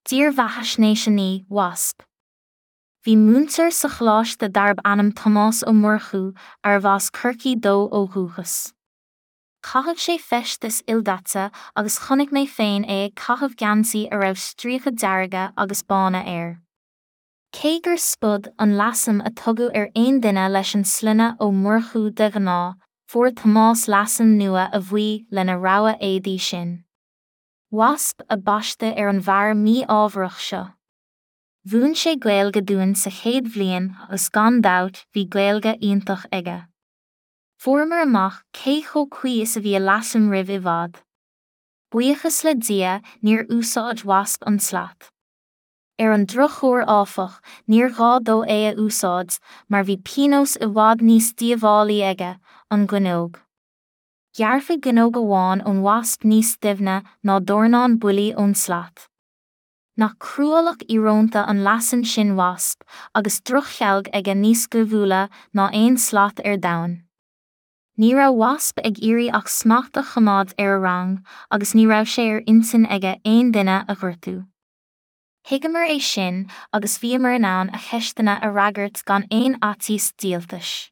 Dírbheathaisnéis 9, Wasp. Bhí múinteoir sa choláiste darb ainm Tomás Ó Murchú, arbh as Corcaigh dó ó dhúchas. Chaitheadh sé feisteas ildaite agus chonaic mé féin é ag caitheamh geansaí a raibh stríoca dearga agus bána air. Cé gur Spud an leasainm a tugadh ar aon duine leis an sloinne Ó Murchú de ghnáth, fuair Tomás leasainm nua a bhuí lena rogha éadaí sin. Wasp a baisteadh ar an bhfear mí-ámharach seo. Mhúin sé Gaeilge dúinn sa chéad bhliain agus gan dabht bhí Gaeilge iontach aige. Fuaireamar amach cé chomh cuí is a bhí a leasainm roimh i bhfad. Buíochas le Dia níor úsáid Wasp an tslat. Ar an drochuair áfach níor ghá dó é a úsáid mar bhí pionós i bhfad níos díobhálaí aige, an ghoineog. Ghearrfaí goineog amháin ón Wasp níos doimhne ná dornán buillí ón tslat. Nach cruálach íorónta an leasainm sin Wasp, agus drochchealg aige níos goimhiúla ná aon slat ar domhan. Ní raibh Wasp ag iarraidh ach smacht a choimeád ar a rang, agus ní raibh sé ar intinn aige aon duine a ghortú. Thuigeamar é sin agus bhíomar in ann a cheisteanna a fhreagairt gan aon fhaitíos díoltais.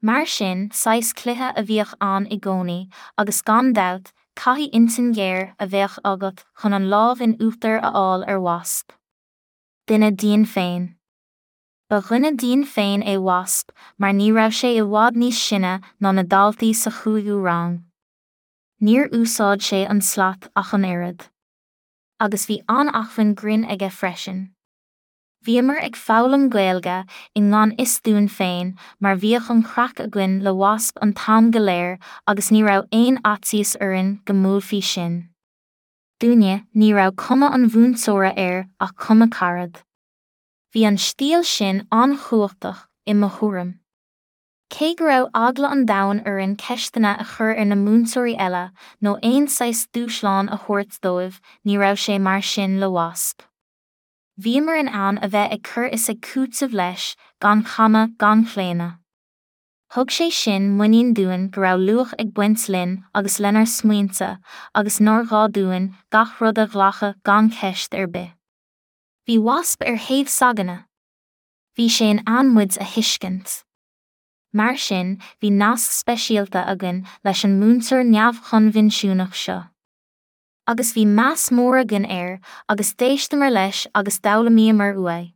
Mar sin, saghas cluiche a bhíodh ann i gcónaí, agus gan dabht, caithfidh intinn ghéar a bheadh agat chun an lámh in uachtar a fháil ar Wasp. Duine dínn féin. Ba dhuine dínn féin é Wasp mar ní raibh sé i bhfad níos sine ná na daltaí sa chúigiú rang. Níor úsáid sé an slat ach an oiread. Agus bhí an-acmhainn grinn aige freisin. Bhíomar ag foghlaim Gaeilge i ngan fhios dúinn féin mar bhíodh an chraic againn le Wasp an t-am go léir agus ní raibh aon fhaitíos orainn go mbuailfí sinn. Dúinne, ní raibh cuma an mhúinteora air ach cuma carad. Bhí an stíl sin an-chumhachtach, i mo thuairim. Cé go raibh eagla an domhain orainn ceisteanna a chur ar na múinteoirí eile nó aon saghas dúshlán a thabhairt dóibh, ní raibh sé mar sin le Wasp. Bhíomar in ann a bheith ag cur is ag cúiteamh leis, gan chamadh gan chlaonadh. Thug sé sin muinín dúinn go raibh luach ag baint linn agus lenár smaointe agus nár ghá dúinn gach rud a ghlacadh gan ceist ar bith. Bhí Wasp ar thaobh s'againne. Bhí sé in ann muid a thuiscint. Mar sin, bhí nasc speisialta againn leis an múinteoir neamhchoinbhinsiúnach seo. Agus bhí meas mór againn air agus d'éisteamar leis agus d'fhoghlaimíomar uaidh.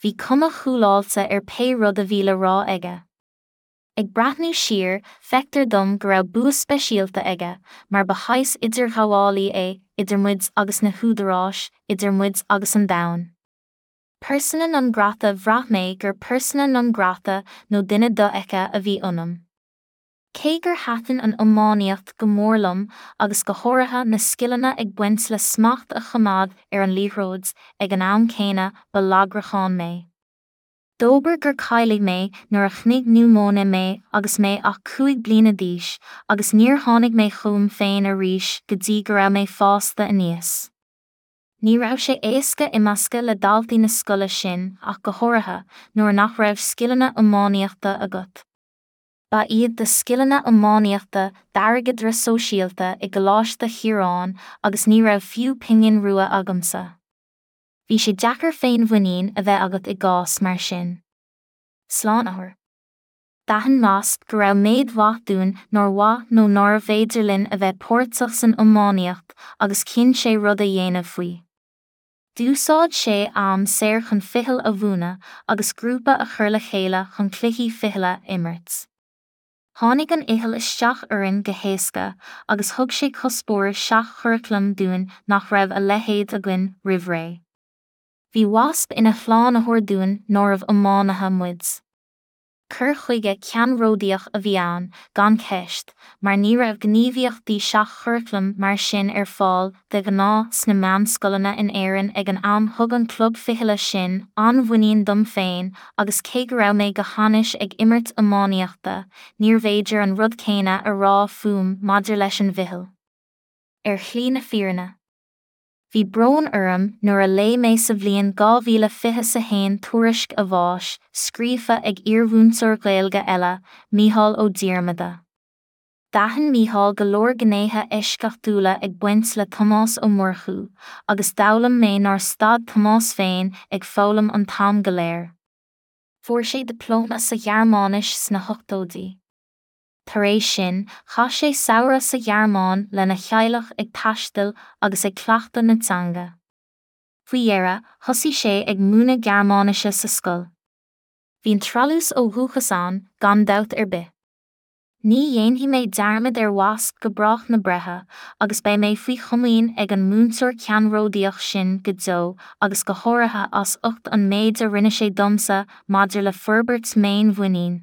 Bhí cuma chúláilte ar pé rud a bhí le rá aige. Ag breathnú siar, feictear dom go raibh bua speisialta aige, mar ba shaghas idirghabhálaí é idir muid agus na húdaráis, idir muid agus an domhan. Persona non grata Bhraith mé gur persona non grata nó duine dofheicthe a bhí ionam. Cé gur thaitin an iománaíocht go mór liom agus go háirithe na scileanna ag baint le smacht a choimeád ar an liathróid, ag an am céanna ba lagrachán mé. Dóbair gur cailleadh mé nuair a shnigh niúmóine mé agus mé ach 5 bliana d'aois agus níor tháinig mé chugam féin arís go dtí go raibh mé fásta aníos. Ní raibh sé éasca imeascadh le daltaí na scoile sin ach go háirithe nuair nach raibh scileanna iománaíochta agat. Ba iad do scileanna iománaíochta d'airgeadra sóisialta i gColáiste Chiaráin agus ní raibh fiú pingin rua agamsa. Bhí sé deacair féinmhuinín a bheith agat i gcás mar sin. Slánaitheoir. D'aithin Wasp go raibh méid mhaith dúinn nár mhaith nó nárbh fhéidir linn a bheith páirteach san iománaíocht agus chinn sé rud a dhéanamh faoi. D'úsáid sé a am saor chun ficheall a mhúineadh agus grúpa a chur le chéile chun cluichí fichille a imirt. Tháinig an fhicheall isteach orainn go héasca agus thug sé cuspóir seach-churaclaim dúinn nach raibh a leithéid againn roimh ré. Bhí Wasp ina shlánaitheoir dúinn nárbh iománaithe muid. Cur chuige ceannródaíoch a bhí ann, gan cheist, mar ní raibh gníomhaíochtaí seach-churaclaim mar sin ar fáil de ghnáth sna meánscoileanna in Éirinn ag an am Thug an club fichille sin an-mhuinín dom féin agus cé go raibh mé go hainnis ag imirt iománaíochta, níorbh fhéidir an rud céanna a rá fúm maidir leis an bhficheall. Ar shlí na fírinne. Bhí brón orm nuair a léigh mé sa bhliain 2021 tuairisc a bháis, scríofa ag iarmhúinteoir Gaeilge eile, Mícheál Ó Diarmada. D'aithin Mícheál go leor gnéithe eisceachtúla ag baint le Tomás Ó Murchú, agus d'fhoghlaim mé nár stad Tomás féin ag foghlaim an t-am go léir. Fuair sé dioplóma sa Ghearmáinis sna hochtóidí. Tar éis sin, chaith sé samhradh sa Ghearmáin lena theaghlach ag taisteal agus ag cleachtadh na teanga. Faoi dheireadh, thosaigh sé ag múineadh Gearmáinise sa scoil. Bhí an treallús ó dhúchas ann, gan dabht ar bith. Ní dhéanfaidh mé dearmad ar Mhasc go brách na breithe, agus beidh mé faoi chomaoin ag an múinteoir ceannródaíoch sin go deo agus go háirithe as ucht an méid a rinne sé domsa maidir le forbairt m'fhéinmhuinín.